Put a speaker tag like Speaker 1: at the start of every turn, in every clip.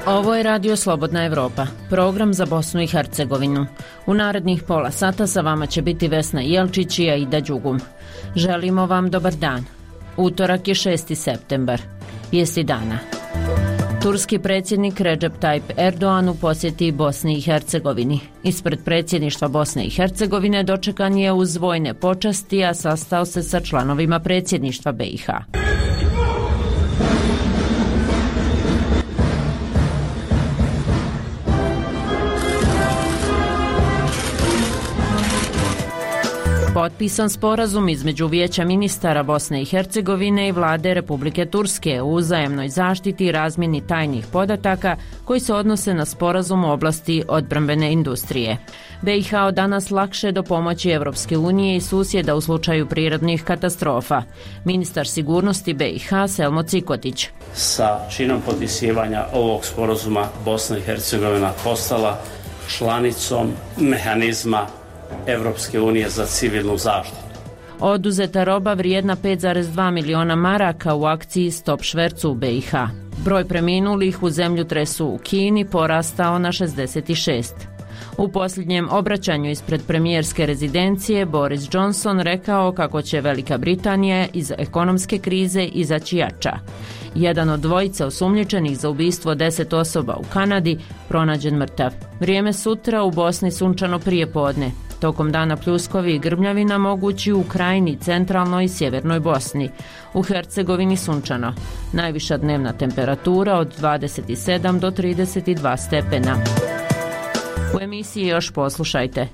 Speaker 1: Ovo je Radio Slobodna Evropa, program za Bosnu i Hercegovinu. U narednih pola sata sa vama će biti Vesna Jelčić i Aida Đugum. Želimo vam dobar dan. Utorak je 6. septembar. Vijesti dana. Turski predsjednik Recep Tayyip Erdoğan u posjeti Bosni i Hercegovini. Ispred predsjedništva Bosne i Hercegovine dočekan je uz vojne počasti, a sastao se sa članovima predsjedništva BiH. Potpisan sporazum između Vijeća ministara Bosne i Hercegovine i vlade Republike Turske o uzajamnoj zaštiti i razmjeni tajnih podataka koji se odnose na sporazum u oblasti odbrambene industrije. BiH od danas lakše do pomoći Evropske unije i susjeda u slučaju prirodnih katastrofa. Ministar sigurnosti BiH Selmo Cikotić.
Speaker 2: Sa činom potpisivanja ovog sporazuma Bosna i Hercegovina postala članicom mehanizma Evropske unije za civilnu zaštitu.
Speaker 1: Oduzeta roba vrijedna 5,2 miliona maraka u akciji Stop švercu u BiH. Broj preminulih u zemljotresu u Kini porastao na 66. U posljednjem obraćanju ispred premijerske rezidencije Boris Johnson rekao kako će Velika Britanija iz ekonomske krize izaći jača. Jedan od dvojice osumnjičenih za ubistvo 10 osoba u Kanadi pronađen mrtav. Vrijeme sutra u Bosni sunčano prije podne. Tokom dana pljuskovi i grmljavina mogući u krajini, centralnoj i sjevernoj Bosni. U Hercegovini sunčano. Najviša dnevna temperatura od 27 do 32 stepena. U emisiji još poslušajte.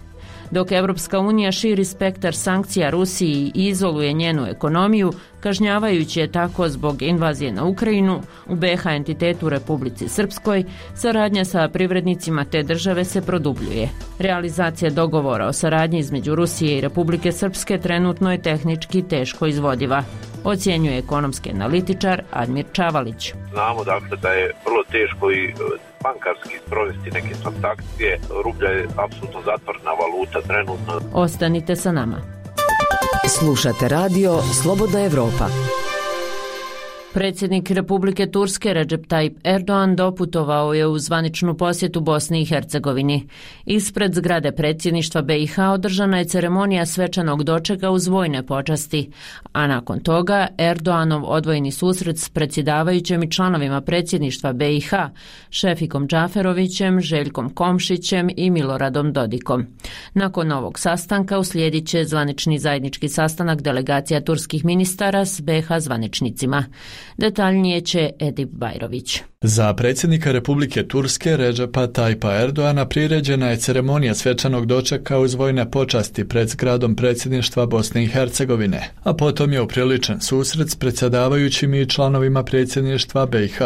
Speaker 1: Dok Evropska unija širi spektar sankcija Rusiji i izoluje njenu ekonomiju, kažnjavajući je tako zbog invazije na Ukrajinu, u BiH entitetu Republici Srpskoj, saradnja sa privrednicima te države se produbljuje. Realizacija dogovora o saradnji između Rusije i Republike Srpske trenutno je tehnički teško izvodiva, ocjenjuje ekonomski analitičar Admir Čavalić.
Speaker 3: Znamo dakle da je vrlo teško i bankarski sprovesti neke transakcije. Rublja je apsolutno zatvorena valuta trenutno.
Speaker 1: Ostanite sa nama.
Speaker 4: Slušate radio Slobodna Evropa.
Speaker 1: Predsjednik Republike Turske Recep Tayyip Erdoğan doputovao je u zvaničnu posjetu Bosni i Hercegovini. Ispred zgrade predsjedništva BiH održana je ceremonija svečanog dočeka uz vojne počasti, a nakon toga Erdoğanov odvojeni susret s predsjedavajućim i članovima predsjedništva BiH, Šefikom Džaferovićem, Željkom Komšićem i Miloradom Dodikom. Nakon ovog sastanka uslijedit će zvanični zajednički sastanak delegacija turskih ministara s BiH zvaničnicima. Detaljnije će Edip Bajrović.
Speaker 5: Za predsjednika Republike Turske Recepa Tayyipa Erdoğana priređena je ceremonija svečanog dočeka uz vojne počasti pred zgradom predsjedništva Bosne i Hercegovine, a potom je upriličen susret s predsjedavajućim i članovima predsjedništva BiH.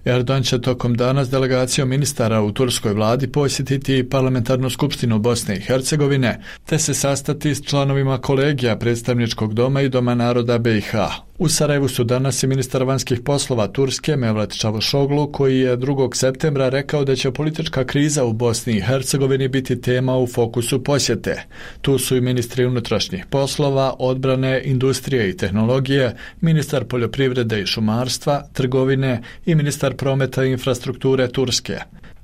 Speaker 5: Erdoğan će tokom dana s delegacijom ministara u turskoj vladi posjetiti parlamentarnu skupštinu Bosne i Hercegovine, te se sastati s članovima kolegija predstavničkog doma i Doma naroda BiH. U Sarajevu su danas i ministar vanjskih poslova Turske Mevlut Čavuşoglu, koji je 2. septembra rekao da će politička kriza u Bosni i Hercegovini biti tema u fokusu posjete. Tu su i ministri unutrašnjih poslova, odbrane, industrije i tehnologije, ministar poljoprivrede i šumarstva, trgovine i ministar prometa i infrastrukture Turske.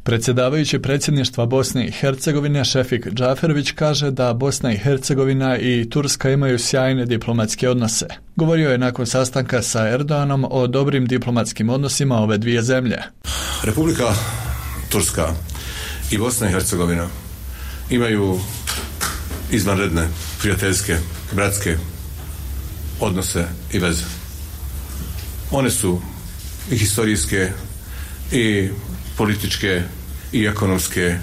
Speaker 5: Predsjedavajući predsjedništva Bosne i Hercegovine Šefik Džaferović kaže da Bosna i Hercegovina i Turska imaju sjajne diplomatske odnose. Govorio je nakon sastanka sa Erdoğanom o dobrim diplomatskim odnosima ove dvije zemlje.
Speaker 6: Republika Turska i Bosna i Hercegovina imaju izvanredne, prijateljske, bratske odnose i veze. One su i historijske i političke i ekonomske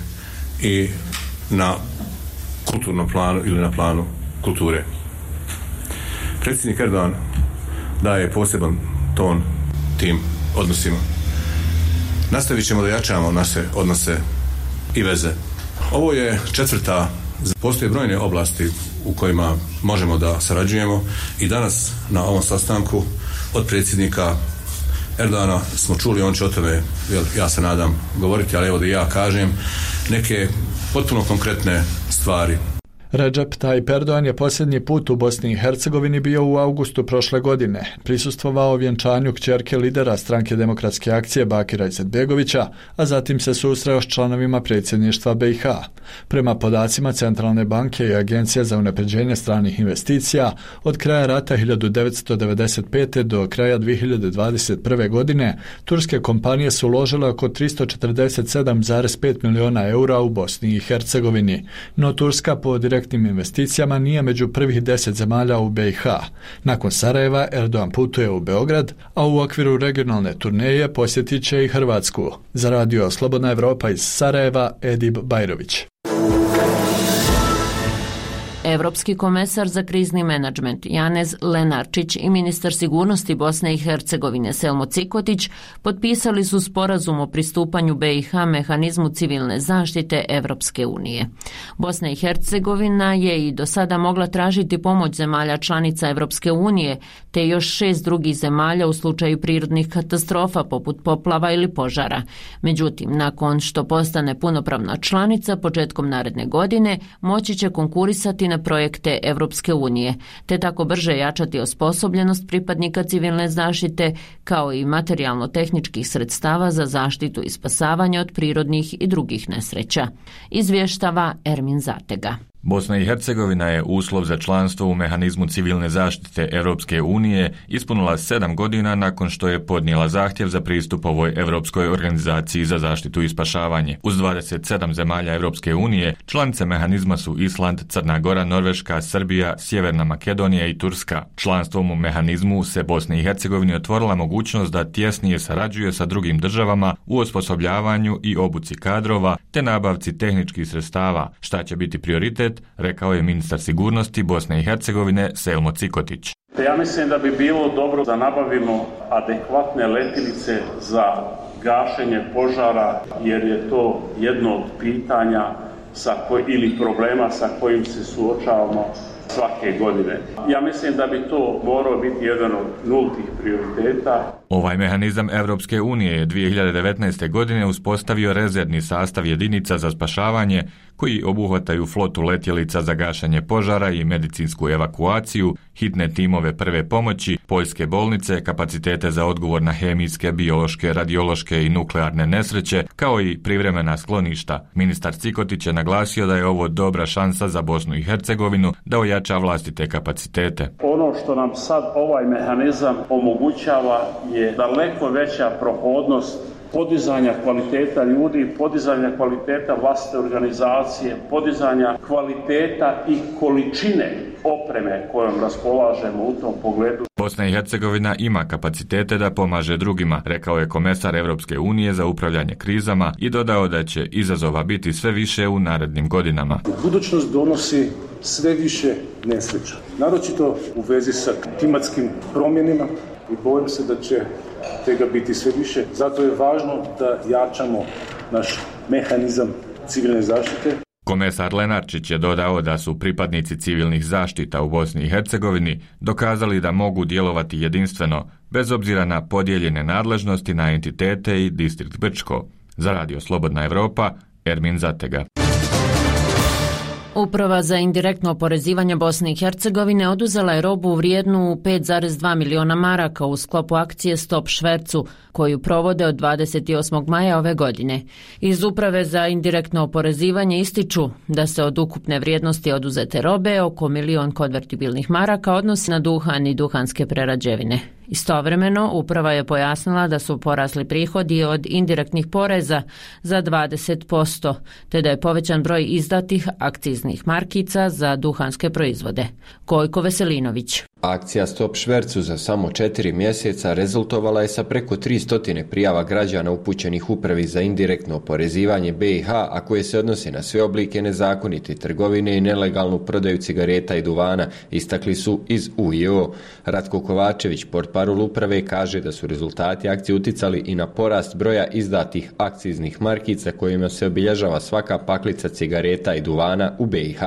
Speaker 6: i na kulturnom planu ili na planu kulture. Predsjednik Erdoğan daje poseban ton tim odnosima. Nastavit ćemo da jačamo naše odnose i veze. Ovo je 4. Postoje brojne oblasti u kojima možemo da sarađujemo i danas na ovom sastanku od predsjednika Erdoğana smo čuli, on će o tome, ja se nadam, govoriti, ali evo da ja kažem neke potpuno konkretne stvari.
Speaker 5: Recep Tayyip Erdogan je posljednji put u Bosni i Hercegovini bio u augustu prošle godine. Prisustvovao vjenčanju kćerke lidera stranke Demokratske akcije Bakira Izetbegovića, a zatim se susreo s članovima predsjedništva BiH. Prema podacima Centralne banke i Agencije za unapređenje stranih investicija, od kraja rata 1995. do kraja 2021. godine turske kompanije su uložile oko 347,5 milijuna eura u Bosni i Hercegovini, no Turska po direktnim investicijama nije među prvih 10 zemalja u BiH. Nakon Sarajeva Erdogan putuje u Beograd, a u okviru regionalne turneje posjetit će i Hrvatsku. Za radio Slobodna Evropa iz Sarajeva, Edib Bajrović.
Speaker 1: Europski komesar za krizni menadžment Janez Lenarčić i ministar sigurnosti Bosne i Hercegovine Selmo Cikotić potpisali su sporazum o pristupanju BiH mehanizmu civilne zaštite Evropske unije. Bosna i Hercegovina je i do sada mogla tražiti pomoć zemalja članica Evropske unije, te još 6 drugih zemalja u slučaju prirodnih katastrofa poput poplava ili požara. Međutim, nakon što postane punopravna članica početkom naredne godine, moći će konkurisati na projekte Evropske unije, te tako brže jačati osposobljenost pripadnika civilne zaštite, kao i materijalno-tehničkih sredstava za zaštitu i spasavanje od prirodnih i drugih nesreća. Izvještava Ermin Zatega.
Speaker 7: Bosna i Hercegovina je uslov za članstvo u mehanizmu civilne zaštite Europske unije ispunila 7 godina nakon što je podnijela zahtjev za pristup ovoj Europskoj organizaciji za zaštitu i spašavanje. Uz 27 zemalja Europske unije, članice mehanizma su Island, Crna Gora, Norveška, Srbija, Sjeverna Makedonija i Turska. Članstvom u mehanizmu se Bosni i Hercegovini otvorila mogućnost da tjesnije sarađuje sa drugim državama u osposobljavanju i obuci kadrova te nabavci tehničkih sredstava, šta će biti prioritet, rekao je ministar sigurnosti Bosne i Hercegovine Selmo Cikotić.
Speaker 2: Ja mislim da bi bilo dobro da nabavimo adekvatne letilice za gašenje požara, jer je to jedno od pitanja ili problema sa kojim se suočavamo svake godine. Ja mislim da bi to morao biti jedan od nultih prioriteta.
Speaker 7: Ovaj mehanizam Evropske unije je 2019. godine uspostavio rezervni sastav jedinica za spašavanje koji obuhvataju flotu letjelica za gašenje požara i medicinsku evakuaciju, hitne timove prve pomoći, poljske bolnice, kapacitete za odgovor na hemijske, biološke, radiološke i nuklearne nesreće, kao i privremena skloništa. Ministar Cikotić je naglasio da je ovo dobra šansa za Bosnu i Hercegovinu da ojača vlastite kapacitete.
Speaker 2: Ono što nam sad ovaj mehanizam omogućava je daleko veća prohodnost podizanja kvaliteta ljudi, podizanja kvaliteta vlastite organizacije, podizanja kvaliteta i količine opreme kojom raspolažemo u tom pogledu.
Speaker 7: Bosna i Hercegovina ima kapacitete da pomaže drugima, rekao je komesar Evropske unije za upravljanje krizama i dodao da će izazova biti sve više u narednim godinama.
Speaker 8: Budućnost donosi sve više nesreća, naročito u vezi sa klimatskim promjenama i bojim se da će tega biti sve više. Zato je važno da jačamo naš mehanizam civilne zaštite.
Speaker 7: Komesar Lenarčić je dodao da su pripadnici civilnih zaštita u Bosni i Hercegovini dokazali da mogu djelovati jedinstveno, bez obzira na podijeljene nadležnosti na entitete i distrikt Brčko. Za radio Slobodna Evropa, Ermin Zatega.
Speaker 1: Uprava za indirektno oporezivanje Bosne i Hercegovine oduzela je robu vrijednu 5,2 miliona maraka u sklopu akcije Stop švercu, koju provode od 28. maja ove godine. Iz Uprave za indirektno oporezivanje ističu da se od ukupne vrijednosti oduzete robe oko 1 milion konvertibilnih maraka odnosi na duhan i duhanske prerađevine. Istovremeno, uprava je pojasnila da su porasli prihodi od indirektnih poreza za 20%, te da je povećan broj izdatih akciznih markica za duhanske proizvode. Gojko Veselinović.
Speaker 9: Akcija Stop švercu za samo 4 mjeseca rezultovala je sa preko 300 prijava građana upućenih Upravi za indirektno oporezivanje BiH, a koje se odnose na sve oblike nezakonite trgovine i nelegalnu prodaju cigareta i duvana, istakli su iz UIO. Ratko Kovačević, portparol uprave, kaže da su rezultati akcije uticali i na porast broja izdatih akciznih markica kojima se obilježava svaka paklica cigareta i duvana u BiH.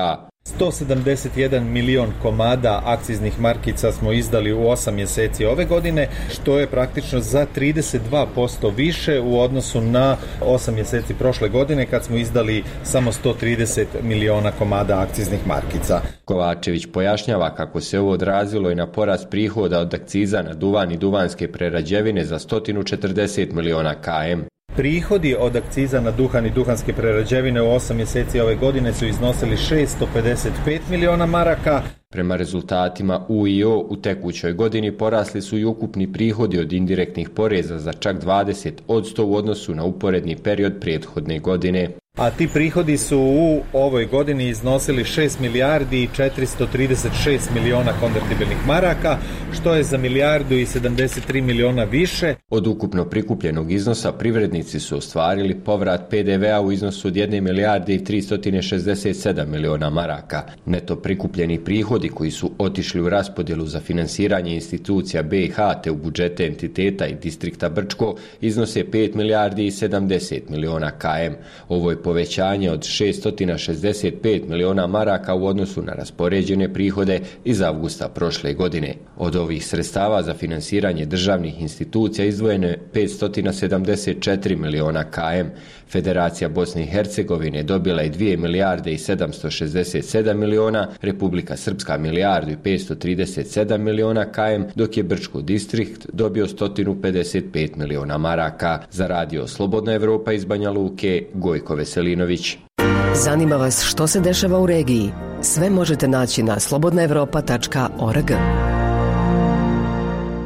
Speaker 10: 171 milion komada akciznih markica smo izdali u 8 mjeseci ove godine, što je praktično za 32% više u odnosu na 8 mjeseci prošle godine kad smo izdali samo 130 miliona komada akciznih markica.
Speaker 9: Kovačević pojašnjava kako se ovo odrazilo i na porast prihoda od akciza na duvan i duvanske prerađevine za 140 miliona km.
Speaker 10: Prihodi od akciza na duhan i duhanske prerađevine u 8 mjeseci ove godine su iznosili 655 miliona maraka.
Speaker 9: Prema rezultatima UIO u tekućoj godini porasli su i ukupni prihodi od indirektnih poreza za čak 20% u odnosu na uporedni period prethodne godine.
Speaker 10: A ti prihodi su u ovoj godini iznosili 6 milijardi i 436 miliona konvertibilnih maraka, što je za milijardu i 73 miliona više.
Speaker 9: Od ukupno prikupljenog iznosa privrednici su ostvarili povrat PDV-a u iznosu od 1 milijarde i 367 miliona maraka. Neto prikupljeni prihodi koji su otišli u raspodjelu za finansiranje institucija BiH te u budžete entiteta i distrikta Brčko iznose 5 milijardi i 70 miliona km. Ovo je povećanje od 665 miliona maraka u odnosu na raspoređene prihode iz avgusta prošle godine. Od ovih sredstava za finansiranje državnih institucija izdvojeno je 574 miliona km. Federacija Bosne i Hercegovine dobila je 2 milijarde i 767 miliona, Republika Srpska milijardu i 537 miliona km, dok je Brčko distrikt dobio 155 miliona maraka. Za radio Slobodna Evropa iz Banja Luke, Gojko Veselinović.
Speaker 4: Zanima vas što se dešava u regiji? Sve možete naći na slobodnaevropa.org.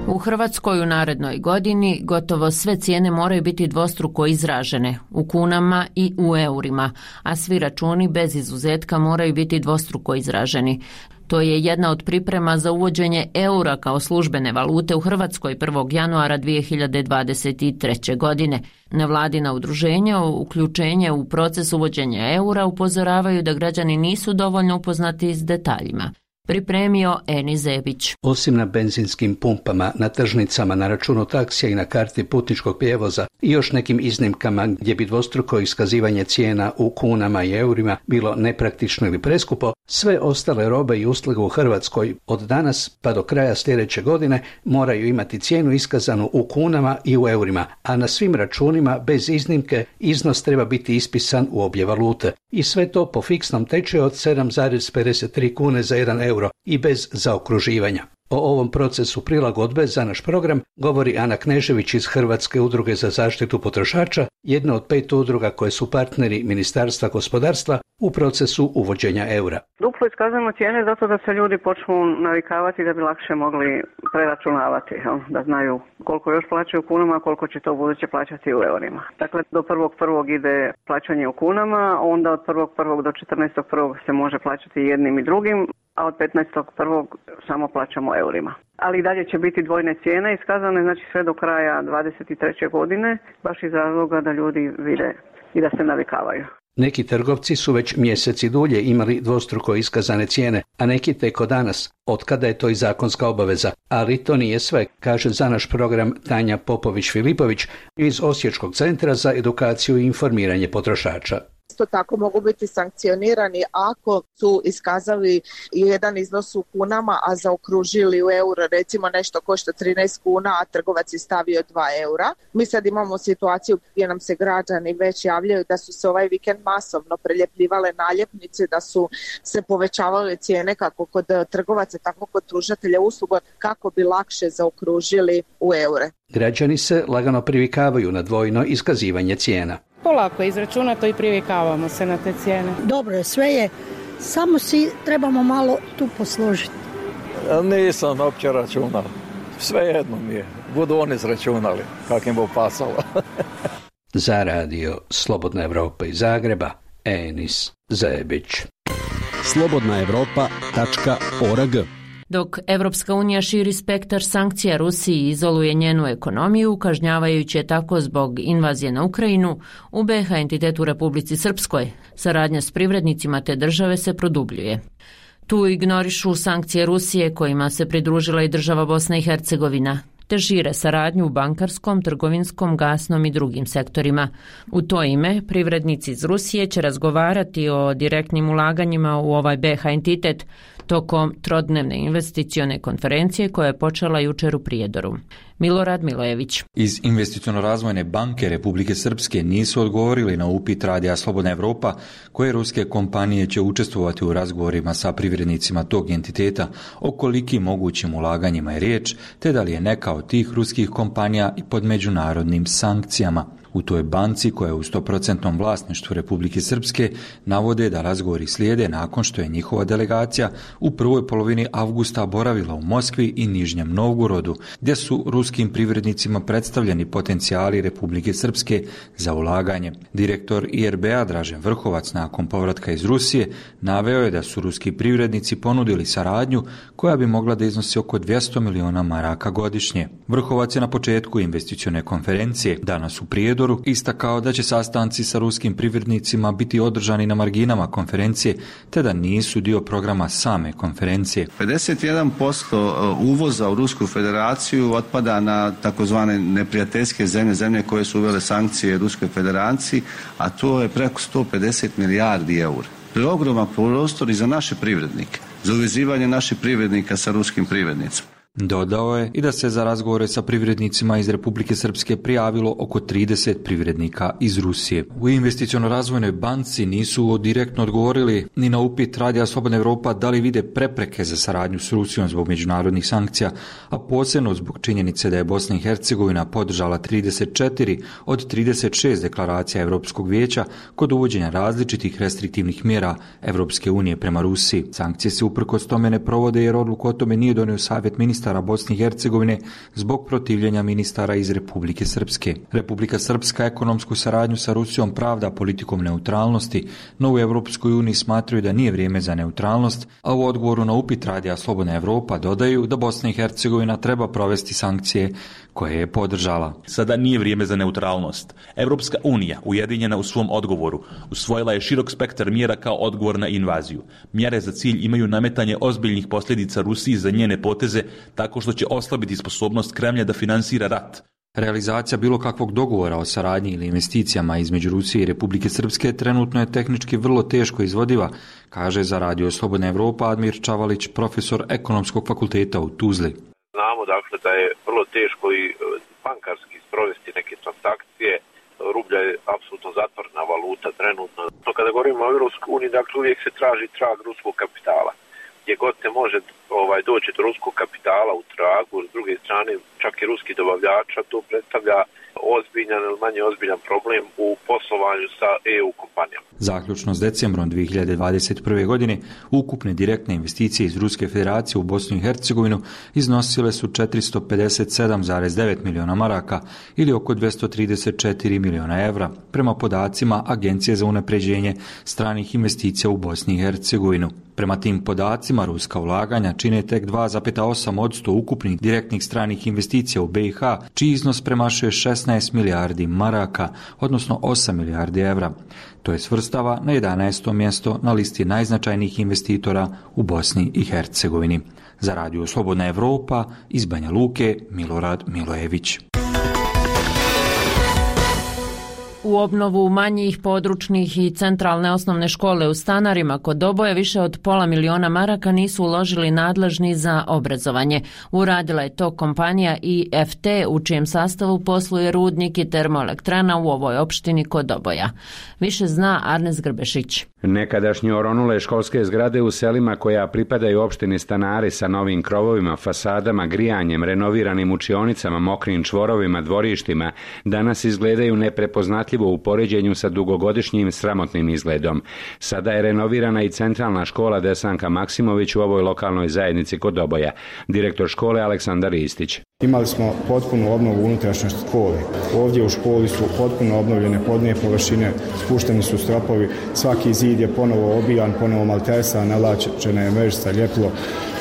Speaker 1: U Hrvatskoj u narednoj godini gotovo sve cijene moraju biti dvostruko izražene, u kunama i u eurima, a svi računi bez izuzetka moraju biti dvostruko izraženi. To je jedna od priprema za uvođenje eura kao službene valute u Hrvatskoj 1. januara 2023. godine. Nevladina udruženja o uključenje u proces uvođenja eura upozoravaju da građani nisu dovoljno upoznati s detaljima. Pripremio Eni Zebić.
Speaker 11: Osim na benzinskim pumpama, na tržnicama, na računu taksija i na karti putničkog prijevoza i još nekim iznimkama gdje bi dvostruko iskazivanje cijena u kunama i eurima bilo nepraktično ili preskupo, sve ostale robe i usluge u Hrvatskoj od danas pa do kraja sljedeće godine moraju imati cijenu iskazanu u kunama i u eurima, a na svim računima bez iznimke iznos treba biti ispisan u obje valute. I sve to po fiksnom tečaju od 7,53 kune za 1 euro i bez zaokruživanja. O ovom procesu prilagodbe za naš program govori Ana Knežević iz Hrvatske udruge za zaštitu potrošača, jedna od 5 udruga koje su partneri Ministarstva gospodarstva u procesu uvođenja eura.
Speaker 12: Duplo iskazujemo cijene zato da se ljudi počnu navikavati da bi lakše mogli preračunavati, da znaju koliko još plaćaju u kunama, a koliko će to u buduće plaćati u eurima. Dakle, do 1.1. ide plaćanje u kunama, onda od 1.1. do 14.1. se može plaćati jednim i drugim, a od 15.1. samo plaćamo eurima. Ali i dalje će biti dvojne cijene iskazane, znači sve do kraja 2023. godine, baš iz razloga da ljudi vide i da se navikavaju.
Speaker 11: Neki trgovci su već mjeseci dulje imali dvostruko iskazane cijene, a neki tek od danas, otkada je to i zakonska obaveza. Ali to nije sve, kaže za naš program Tanja Popović-Filipović iz Osječkog centra za edukaciju i informiranje potrošača.
Speaker 13: Isto tako mogu biti sankcionirani ako su iskazali jedan iznos u kunama, a zaokružili u euro, recimo nešto košta 13 kuna, a trgovac je stavio 2 eura. Mi sad imamo situaciju gdje nam se građani već javljaju da su se ovaj vikend masovno preljepljivale naljepnice, da su se povećavale cijene kako kod trgovaca, tako kod pružatelja usluga, kako bi lakše zaokružili u eure.
Speaker 11: Građani se lagano privikavaju na dvojno iskazivanje cijena.
Speaker 14: Polako je izračunato i privikavamo se na te cijene.
Speaker 15: Dobro je, sve je, samo si trebamo malo tu posložiti.
Speaker 16: Nisam uopće računao, sve jedno mi je, budu oni izračunali kak im bo pasalo.
Speaker 11: Za radio Slobodna Evropa iz Zagreba, Enis Zebić.
Speaker 17: slobodnaevropa.org.
Speaker 1: Dok Evropska unija širi spektar sankcija Rusiji i izoluje njenu ekonomiju, kažnjavajući je tako zbog invazije na Ukrajinu, u BiH entitetu Republici Srpskoj saradnja s privrednicima te države se produbljuje. Tu ignorišu sankcije Rusije kojima se pridružila i država Bosna i Hercegovina. te šire saradnju u bankarskom, trgovinskom, gasnom i drugim sektorima. U to ime, privrednici iz Rusije će razgovarati o direktnim ulaganjima u ovaj BiH entitet tokom trodnevne investicione konferencije koja je počela jučer u Prijedoru. Milorad Milojević.
Speaker 17: Iz Investiciono-razvojne banke Republike Srpske nisu odgovorili na upit Radija Slobodna Evropa koje ruske kompanije će učestvovati u razgovorima sa privrednicima tog entiteta o kolikim mogućim ulaganjima je riječ, te da li je neka od tih ruskih kompanija i pod međunarodnim sankcijama. U toj banci, koja je u 100% vlasništvu Republike Srpske, navode da razgovori slijede nakon što je njihova delegacija u prvoj polovini avgusta boravila u Moskvi i Nižnjem Novgorodu, gdje su ruskim privrednicima predstavljeni potencijali Republike Srpske za ulaganje. Direktor IRB-a Dražen Vrhovac nakon povratka iz Rusije naveo je da su ruski privrednici ponudili saradnju koja bi mogla da iznosi oko 200 miliona maraka godišnje. Vrhovac je na početku investicione konferencije danas u Prijedoru istakao da će sastanci sa ruskim privrednicima biti održani na marginama konferencije, te da nisu dio programa same konferencije.
Speaker 18: 51% uvoza u Rusku federaciju otpada na takozvane neprijateljske zemlje koje su uvele sankcije Ruskoj federaciji, a to je preko 150 milijardi eura. To je ogroman prostor i za naše privrednike, za uvezivanje naših privrednika sa ruskim privrednicima.
Speaker 17: Dodao je i da se za razgovore sa privrednicima iz Republike Srpske prijavilo oko 30 privrednika iz Rusije. U Investiciono-razvojnoj banci nisu direktno odgovorili ni na upit Radija Slobodna Evropa da li vide prepreke za saradnju s Rusijom zbog međunarodnih sankcija, a posebno zbog činjenice da je Bosna i Hercegovina podržala 34 od 36 deklaracija Europskog vijeća kod uvođenja različitih restriktivnih mjera Europske unije prema Rusiji. Sankcije se uprkos tome ne provode jer odluku o tome nije donio Savjet ministara Bosne i Hercegovine zbog protivljenja ministara iz Republike Srpske. Republika Srpska ekonomsku saradnju sa Rusijom pravda politikom neutralnosti, no u Europskoj uniji smatraju da nije vrijeme za neutralnost, a u odgovoru na upit Radija Slobodna Evropa dodaju da Bosna i Hercegovina treba provesti sankcije koje je podržala.
Speaker 19: Sada nije vrijeme za neutralnost. Europska unija, ujedinjena u svom odgovoru, usvojila je širok spektar mjera kao odgovor na invaziju. Mjere za cilj imaju nametanje ozbiljnih posljedica Rusiji za njene poteze tako što će oslabiti sposobnost Kremlja da finansira rat.
Speaker 17: Realizacija bilo kakvog dogovora o saradnji ili investicijama između Rusije i Republike Srpske trenutno je tehnički vrlo teško izvodiva, kaže za Radio Slobodna Evropa Admir Čavalić, profesor Ekonomskog fakulteta u Tuzli.
Speaker 3: Znamo dakle da je vrlo teško i bankarski sprovesti neke transakcije. Rublja je apsolutno zatvorena valuta trenutno. No, kada govorimo o Europskoj uniji, dakle uvijek se traži trag ruskog kapitala. Gdje god se može doći do ruskog kapitala u tragu, s druge strane čak i ruski dobavljača, to predstavlja ozbiljan ili manje ozbiljan problem u poslovanju sa EU kompanijama.
Speaker 17: Zaključno s decembrom 2021. godine ukupne direktne investicije iz Ruske federacije u Bosnu i Hercegovinu iznosile su 457,9 miliona maraka ili oko 234 miliona evra, prema podacima Agencije za unapređenje stranih investicija u Bosni i Hercegovinu. Prema tim podacima, ruska ulaganja čine tek 2,8% ukupnih direktnih stranih investicija u BiH, čiji iznos premašuje 16 milijardi maraka, odnosno 8 milijardi evra. To je svrstava na 11. mjesto na listi najznačajnijih investitora u Bosni i Hercegovini. Za Radio Slobodna Evropa iz Banja Luke, Milorad Milojević.
Speaker 1: U obnovu manjih područnih i centralne osnovne škole u Stanarima kod Doboja više od $500,000 maraka nisu uložili nadležni za obrazovanje. Uradila je to kompanija IFT u čijem sastavu posluje rudnik i termoelektrana u ovoj opštini kod Doboja. Više zna Arnes Grbešić.
Speaker 20: Nekadašnje oronule školske zgrade u selima koja pripadaju opštini Stanari sa novim krovovima, fasadama, grijanjem, renoviranim učionicama, mokrim čvorovima, dvorištima, danas izgledaju neprepoznatljivo u poređenju sa dugogodišnjim sramotnim izgledom. Sada je renovirana i centralna škola Desanka Maksimović u ovoj lokalnoj zajednici kod Doboja. Direktor škole Aleksandar Istić.
Speaker 21: Imali smo potpunu obnovu unutrašnje škole. Ovdje u školi su potpuno obnovljene podne površine, spušteni su stropovi, svaki zid je ponovo obijan, ponovo maltesan, nalačena je mrežica, ljepilo,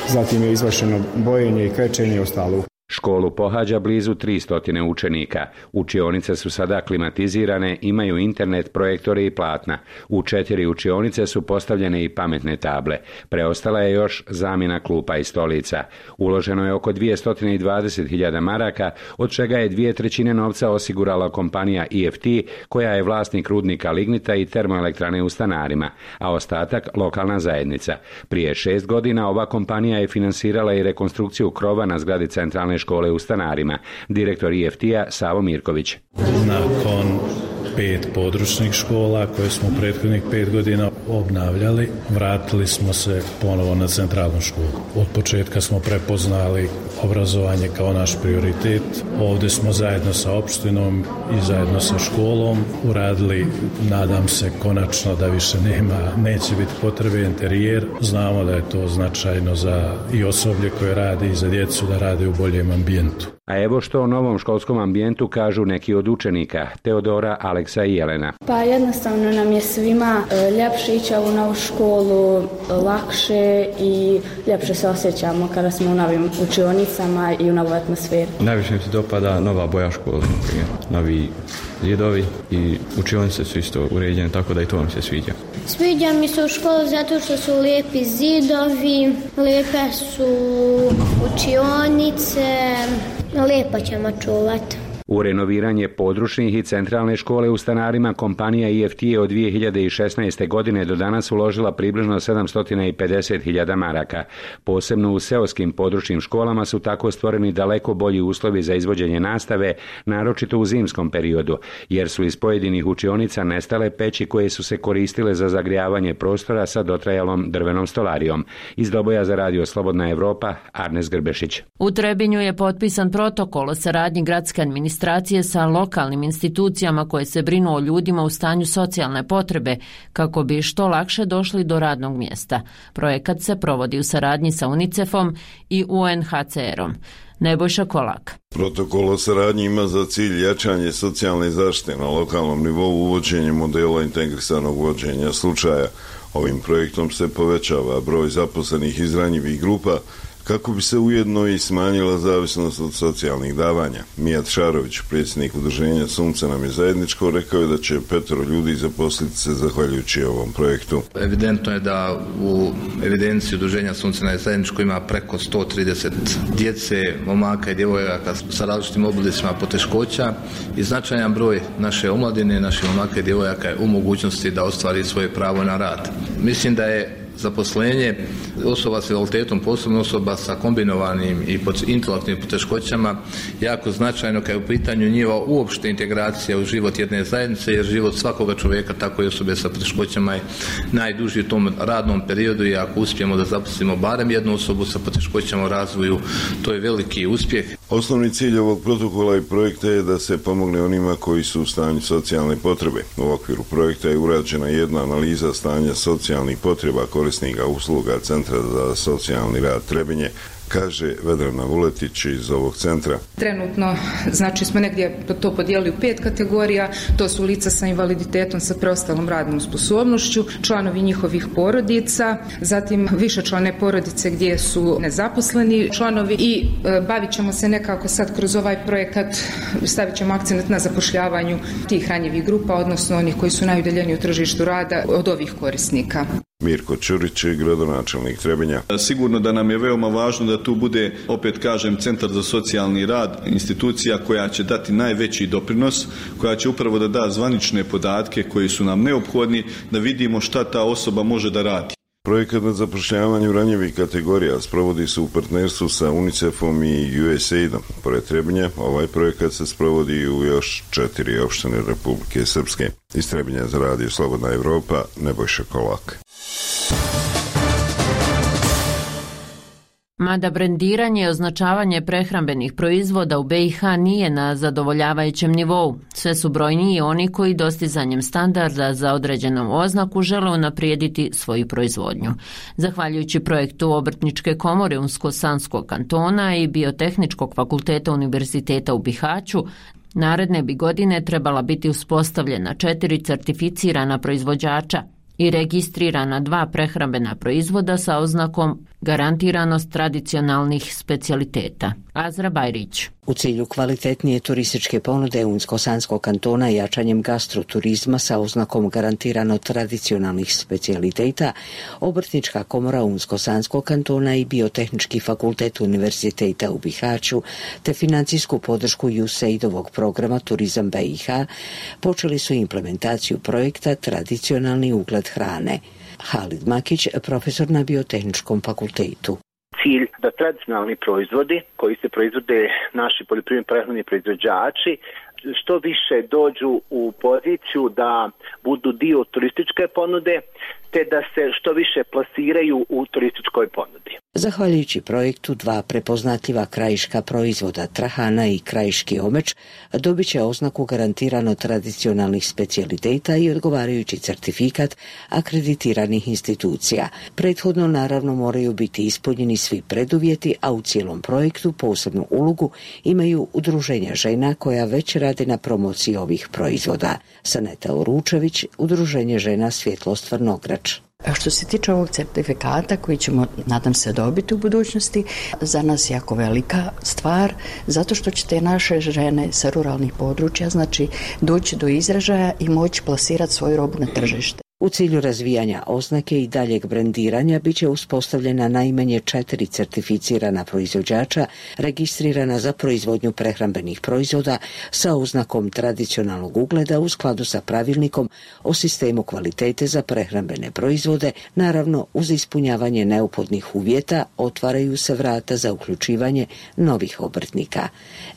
Speaker 21: zatim je izvršeno bojenje i krečenje i ostalo.
Speaker 20: Školu pohađa blizu 300 učenika. Učionice su sada klimatizirane, imaju internet, projektore i platna. U 4 učionice su postavljene i pametne table. Preostala je još zamjena klupa i stolica. Uloženo je oko 220.000 maraka, od čega je 2/3 novca osigurala kompanija EFT, koja je vlasnik rudnika lignita i termoelektrane u Stanarima, a ostatak lokalna zajednica. Prije 6 godina ova kompanija je finansirala i rekonstrukciju krova na zgradi centralne škole u Stanarima. Direktor EFT-a Savo Mirković.
Speaker 6: Nakon 5 područnih škola koje smo prethodnih 5 godina obnavljali, vratili smo se ponovo na centralnu školu. Od početka smo prepoznali obrazovanje kao naš prioritet. Ovdje smo zajedno sa opštinom i zajedno sa školom uradili, nadam se konačno da više neće biti potrebe interijer. Znamo da je to značajno za i osoblje koje radi i za djecu da rade u boljem ambijentu.
Speaker 20: A evo što o novom školskom ambijentu kažu neki od učenika, Teodora, Aleksa i Jelena.
Speaker 22: Pa jednostavno nam je svima ljepše ići u novu školu, lakše i ljepše se osjećamo kada smo u novim učionicama i u novoj atmosferi.
Speaker 23: Najviše mi se dopada nova boja škole, novi zidovi i učionice su isto uređene, tako da i to mi se sviđa.
Speaker 24: Sviđa mi se u školu zato što su lijepi zidovi, lijepe su učionice, lijepo ćemo čuvati.
Speaker 20: U renoviranje područnih i centralne škole u Stanarima kompanija EFT je od 2016. godine do danas uložila približno 750.000 maraka. Posebno u seoskim područnim školama su tako stvoreni daleko bolji uslovi za izvođenje nastave, naročito u zimskom periodu, jer su iz pojedinih učionica nestale peći koje su se koristile za zagrijavanje prostora sa dotrajalom drvenom stolarijom. Iz Doboja za radio Slobodna Evropa, Arnes Grbešić.
Speaker 1: U Trebinju je potpisan protokol o saradnji gradske administracije sa lokalnim institucijama koje se brinu o ljudima u stanju socijalne potrebe kako bi što lakše došli do radnog mjesta. Projekat se provodi u saradnji sa UNICEF-om i UNHCR-om. Nebojša Kolak.
Speaker 25: Protokol o saradnji ima za cilj jačanje socijalne zaštite na lokalnom nivou, uvođenje modela integrisanog vođenja slučaja. Ovim projektom se povećava broj zaposlenih iz ranjivih grupa kako bi se ujedno i smanjila zavisnost od socijalnih davanja. Mijat Šarović, predsjednik udruženja Sunce nam je zajedničko, rekao je da će 5 ljudi zaposliti se zahvaljujući ovom projektu.
Speaker 26: Evidentno je da u evidenciji udruženja Sunce nam je zajedničko ima preko 130 djece, momaka i djevojaka sa različitim oblicima poteškoća i značajan broj naše omladine, naših momaka i djevojaka je u mogućnosti da ostvari svoje pravo na rad. Mislim da je zaposlenje osoba s invaliditetom, posebno osoba sa kombinovanim i intelektualnim poteškoćama, jako značajno kad je u pitanju njihova uopšte integracija u život jedne zajednice, jer život svakoga čovjeka, tako i osobe sa poteškoćama, je najduži u tom radnom periodu i ako uspijemo da zaposlimo barem jednu osobu sa poteškoćama u razvoju, to je veliki uspjeh.
Speaker 25: Osnovni cilj ovog protokola i projekta je da se pomogne onima koji su u stanju socijalne potrebe. U okviru projekta je urađena jedna analiza stanja socijalnih potreba korisnika usluga Centra za socijalni rad Trebinje, kaže Vedrana Vuletić iz ovog centra.
Speaker 27: Trenutno, znači, smo negdje to podijelili u 5 kategorija. To su lica sa invaliditetom sa preostalom radnom sposobnošću, članovi njihovih porodica, zatim višečlane porodice gdje su nezaposleni članovi i bavit ćemo se nekako sad kroz ovaj projekat, stavit ćemo akcent na zapošljavanju tih ranjivih grupa, odnosno onih koji su najudaljeniji u tržištu rada od ovih korisnika.
Speaker 25: Mirko Čurić, gradonačelnik Trebinja.
Speaker 28: Sigurno da nam je veoma važno da tu bude, opet kažem, Centar za socijalni rad, institucija koja će dati najveći doprinos, koja će upravo da da zvanične podatke koji su nam neophodni da vidimo šta ta osoba može da radi.
Speaker 25: Projekat na zapošljavanju ranjivih kategorija sprovodi se u partnerstvu sa UNICEF-om i USAID-om. Pored Trebinja, ovaj projekat se sprovodi u još 4 opštine Republike Srpske. Iz Trebinja za radio Slobodna Evropa, Nebojša Kolak.
Speaker 1: Mada brendiranje i označavanje prehrambenih proizvoda u BiH nije na zadovoljavajućem nivou, sve su brojniji oni koji dostizanjem standarda za određenom oznaku žele unaprijediti svoju proizvodnju. Zahvaljujući projektu Obrtničke komore Unsko-Sanskog kantona i Biotehničkog fakulteta Univerziteta u Bihaću, naredne bi godine trebala biti uspostavljena 4 certificirana proizvođača i registrirana 2 prehrambena proizvoda sa oznakom garantiranost tradicionalnih specijaliteta. Azra Bajrić.
Speaker 2: U cilju kvalitetnije turističke ponude Unsko-Sanskog kantona jačanjem gastroturizma sa oznakom garantirano tradicionalnih specijaliteta, Obrtnička komora Unsko-Sanskog kantona i Biotehnički fakultet Univerziteta u Bihaću te financijsku podršku USAID-ovog programa Turizam BiH počeli su implementaciju projekta Tradicionalni ugled hrane. Halid Makić, profesor na Biotehničkom fakultetu.
Speaker 4: Cilj da tradicionalni proizvodi koji se proizvode naši poljoprivredni prehrambeni proizvođači što više dođu u poziciju da budu dio turističke ponude te da se što više plasiraju u turističkoj ponudi.
Speaker 2: Zahvaljujući projektu dva prepoznatljiva krajiška proizvoda trahana i krajiški omeč dobit će oznaku garantirano tradicionalnih specijaliteta i odgovarajući certifikat akreditiranih institucija. Prethodno naravno moraju biti ispunjeni svi preduvjeti, a u cijelom projektu posebnu ulogu imaju udruženja žena koja već rade na promociji ovih proizvoda. Saneta Oručević, Udruženje žena Svjetlostvor Nograč.
Speaker 5: Što se tiče ovog certifikata koji ćemo, nadam se, dobiti u budućnosti, za nas jako velika stvar, zato što će te naše žene sa ruralnih područja, znači, doći do izražaja i moći plasirati svoju robu na tržište.
Speaker 2: U cilju razvijanja oznake i daljeg brendiranja bit će uspostavljena najmanje 4 certificirana proizvođača registrirana za proizvodnju prehrambenih proizvoda sa oznakom tradicionalnog ugleda u skladu sa pravilnikom o sistemu kvalitete za prehrambene proizvode. Naravno, uz ispunjavanje neophodnih uvjeta otvaraju se vrata za uključivanje novih obrtnika.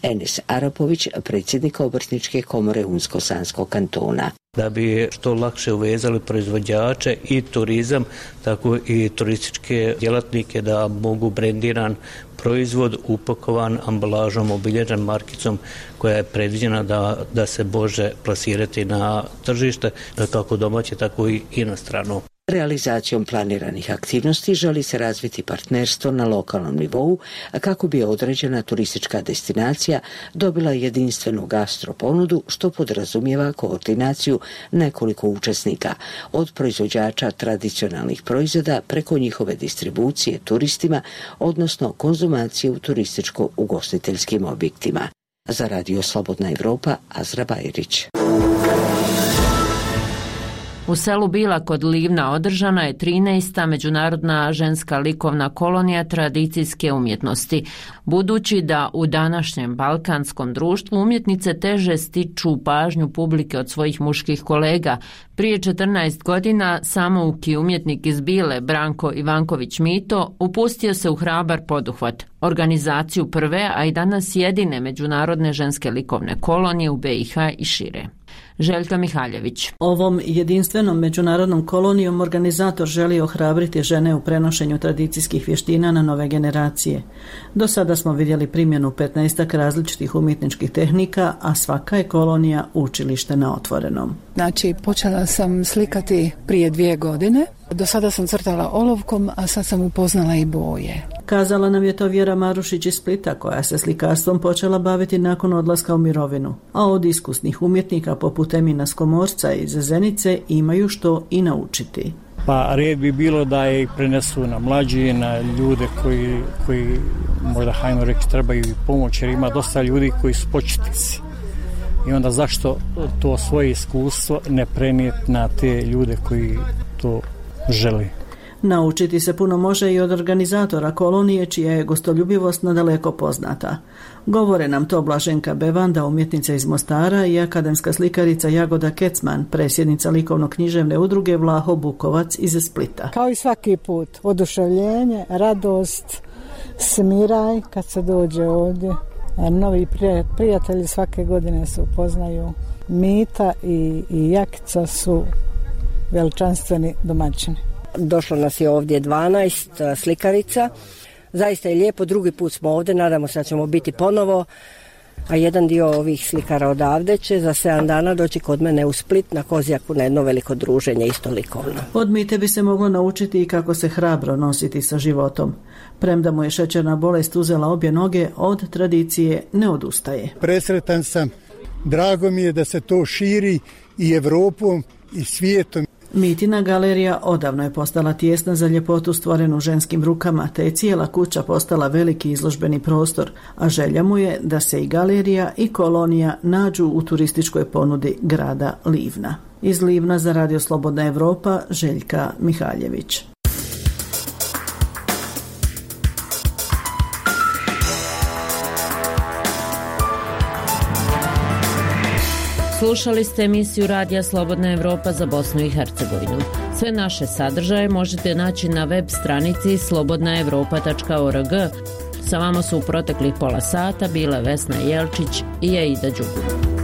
Speaker 2: Enes Arapović, predsjednik Obrtničke komore Unsko-Sanskog kantona.
Speaker 7: Da bi što lakše uvezali proizvođače i turizam, tako i turističke djelatnike da mogu brendiran proizvod upakovan ambalažom, obilježen markicom koja je predviđena da se može plasirati na tržište, kako domaće, tako i inostrano.
Speaker 2: Realizacijom planiranih aktivnosti želi se razviti partnerstvo na lokalnom nivou, kako bi određena turistička destinacija dobila jedinstvenu gastro ponudu, što podrazumijeva koordinaciju nekoliko učesnika, od proizvođača tradicionalnih proizvoda preko njihove distribucije turistima, odnosno konzumacije u turističko-ugostiteljskim objektima. Za Radio Slobodna Evropa, Azra Bajrić.
Speaker 1: U selu Bila kod Livna održana je 13. međunarodna ženska likovna kolonija tradicijske umjetnosti. Budući da u današnjem balkanskom društvu umjetnice teže stiču pažnju publike od svojih muških kolega, prije 14 godina samouki umjetnik iz Bile, Branko Ivanković Mito, upustio se u hrabar poduhvat, organizaciju prve, a i danas jedine međunarodne ženske likovne kolonije u BiH i šire. Željka Mihaljević.
Speaker 8: Ovom jedinstvenom međunarodnom kolonijom organizator želi ohrabriti žene u prenošenju tradicijskih vještina na nove generacije. Do sada smo vidjeli primjenu 15 različitih umjetničkih tehnika, a svaka je kolonija učilište na otvorenom.
Speaker 9: Znači, počela sam slikati prije 2 godine. Do sada sam crtala olovkom, a sad sam upoznala i boje.
Speaker 8: Kazala nam je to Vjera Marušić iz Splita, koja se slikarstvom počela baviti nakon odlaska u mirovinu. A od iskusnih umjetnika poput Emina Skomorca iz Zenice imaju što i naučiti.
Speaker 10: Pa red bi bilo da ih prenesu na mlađi, na ljude koji možda hajmo reći trebaju pomoć, jer ima dosta ljudi koji su početnici. I onda zašto to svoje iskustvo ne prenijeti na te ljude koji to žele?
Speaker 8: Naučiti se puno može i od organizatora kolonije, čija je gostoljubivost nadaleko poznata. Govore nam to Blaženka Bevanda, umjetnica iz Mostara, i akademska slikarica Jagoda Kecman, predsjednica likovno-književne udruge Vlaho Bukovac iz Splita.
Speaker 9: Kao i svaki put, oduševljenje, radost, smiraj kad se dođe ovdje. Novi prijatelji svake godine se upoznaju. Mita i Jakica su veličanstveni domaćini.
Speaker 12: Došlo nas je ovdje 12 slikarica. Zaista je lijepo, drugi put smo ovdje, nadamo se da ćemo biti ponovo. A jedan dio ovih slikara odavde će za 7 dana doći kod mene u Split na Kozjaku na jedno veliko druženje, isto likovno.
Speaker 8: Od Mite bi se moglo naučiti i kako se hrabro nositi sa životom. Premda mu je šećerna bolest uzela obje noge, od tradicije ne odustaje.
Speaker 29: Presretan sam, drago mi je da se to širi i Evropom i svijetom.
Speaker 8: Mitina galerija odavno je postala tijesna za ljepotu stvorenu ženskim rukama, te je cijela kuća postala veliki izložbeni prostor, a želja mu je da se i galerija i kolonija nađu u turističkoj ponudi grada Livna. Iz Livna za Radio Slobodna Evropa, Željka Mihaljević.
Speaker 1: Slušali ste emisiju Radija Slobodna Evropa za Bosnu i Hercegovinu. Sve naše sadržaje možete naći na web stranici slobodnaevropa.org. Sa vama su u proteklih pola sata bile Vesna Jelčić i Aida Đugur.